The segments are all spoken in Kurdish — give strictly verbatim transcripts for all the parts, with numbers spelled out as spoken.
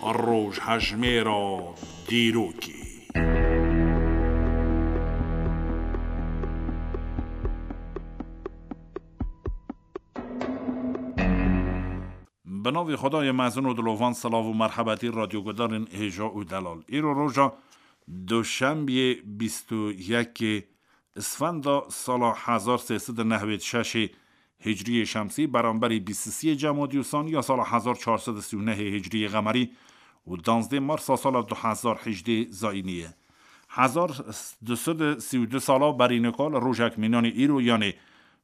Rojhejmêra dîrokê. Bi navê Xwedayê mezin û dilovan, silav û merhebetî radyogudarên hêja û delal. Îro roja Duşembiyê bîst û yekê Isfenda sala hezar sê sed û newêd şeşê Hicriyê Şemsî, beramberî bîst û siyê Cemadî Usan ya sala hezar çar sed û sî û nehê Hicriyê Xemerî û danzdê Marsa sala du hezar hejdê Zayînî ye. Hezar du sed û sî û du sala berî nika li rojek mînanê îro, yanê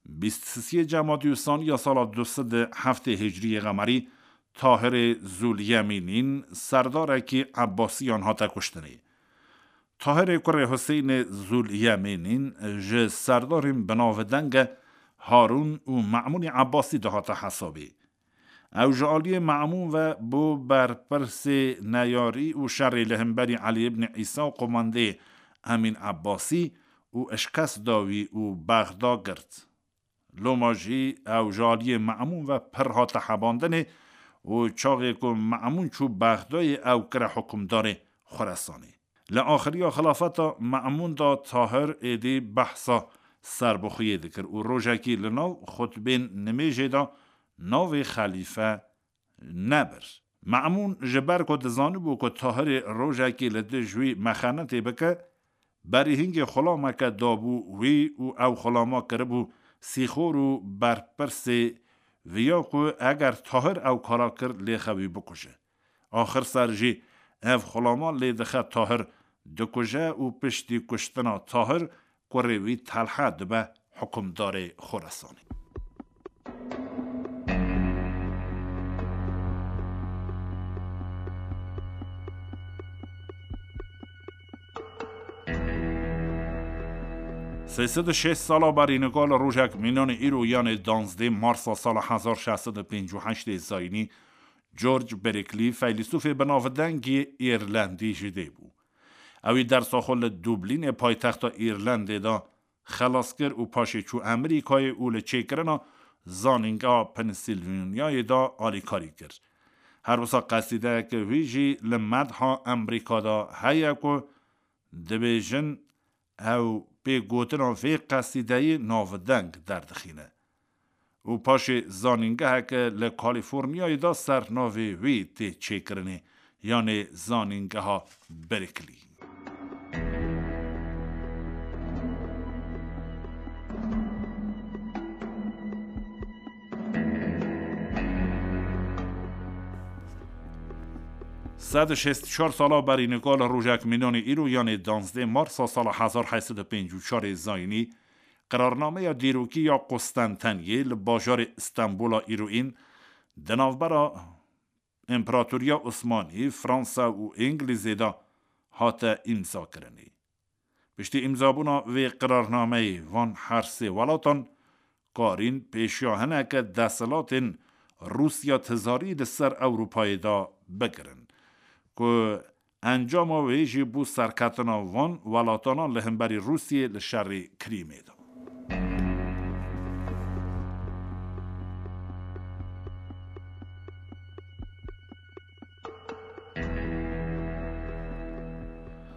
bîst û siyê Cemadî Usan ya sala du sed û heftê Hicriyê Xemerî, Tahirê Zûlyemînîn, serdarekî Ebbasiyan, hate kuştinê. Tahirê kurê Huseyinê Zûlyemînîn ji serdarên binavdenge Harûn û Me'mûnê Ebbasî dihate hesabê. Ew ji aliyê Me'mûn ve bû berpirsê neyarî û şerê li hemberî Elî ibn Îsa û qumandê Emîn Ebbasî û şikest da wî û Bexda girt. Loma jî ew ji aliyê Me'mûn ve pir hate hebandinê û çaxê ku Me'mûn çû Bexdayê, ew kire hukimdarê Xuresanê. Li axiriya xilafeta Me'mûn de Tahir êdî behsa serbixwiyê dikir û rojekî li nav xutbên nimêjê de navê xelîfe nebir. Me'mûn ji ber ku dizanibû ku Tahirê rojekî li dij wî mexenetê bike, berî hingê xulameke dabû wî û ew xulama kiribû sîxor û berpirsê viya ku eger Tahir ew kara kir, lêxe wî bikuje. Axir ser jî ev xulama lê dixe Tahir, dikuje û piştî kuştina Tahir kurê wî Telha dibe hukimdarê Xorasanê. Sê sed û şêst sala berî nika li rojek mînanê îro, yanê danzdê Marsa sala hezar şeş sed û pêncî û heştê Zayînî, George Berkeley, feylesûfê binavdengî Îrlendî ji dê bû. Ewî dersa xwe li Dublînê, paytexta Îrlendê de xelas kir û paşê çû Amerîkayê û li çêkirina Zanîngeha Pennsylvaniayê de alîkarî kir. Her wisa qesîdeyeke wî jî li medha Amerîka de heye ku dibêjin, ew pê gotina vê qesîdeyê navdeng derdixîne. Û paşê zanîngeheke li Kalîforniyayê de ser navê wî tê çêkirinê, yanê Zanîngeha Berkeley. Sed û şêst û çar sala berî nika li rojek mînanê îro, yanê danzdê Marsa sala hezar heyt sed û pêncî û çarê Zayînî, qirarnameya dîrokî ya Qustenteniyê li bajarê Stenbola îroyîn di navbera Împaratoriya Osmanî, Fransa û Îngilîzê de hate îmzakirinê. Piştî îmzabûna vê qirarnameyê, van her sê welatan karîn pêşiya hineke desthilatên Rûsya tizarî li ser Ewropayê de bigirin, ku encama wê jî bû serketina van welatana li hemberî Rûsiyê li şerê Krîmê de.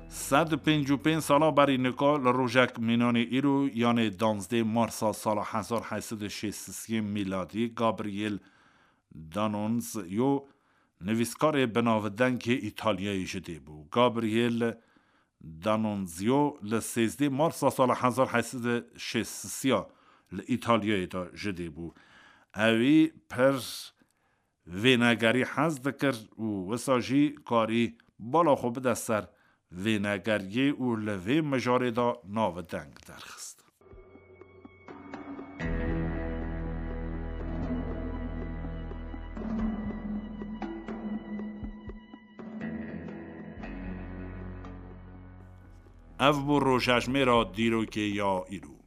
Sed û pêncî û pênc sala berî nika li rojek mînanê îro, yanê danzdê Marsa sala hezar heyt sed û şêst û sê mîladî, Gabriel D'Annunzio, nivîskarê binavdengê Îtalyayê ji dê bû. Gabriel D'Annunzio li sêzdeh Marsa sala hezar heyt sed û şêst û sê li Îtalyayê de ji dê bû. Ewî pir vênegerî hez dikir û wisa jî karî bala xwe bide ser vênegeriyê û li vê mijarê de navdeng derxist. Ev bû rojhejmêra dîrokê ya îro.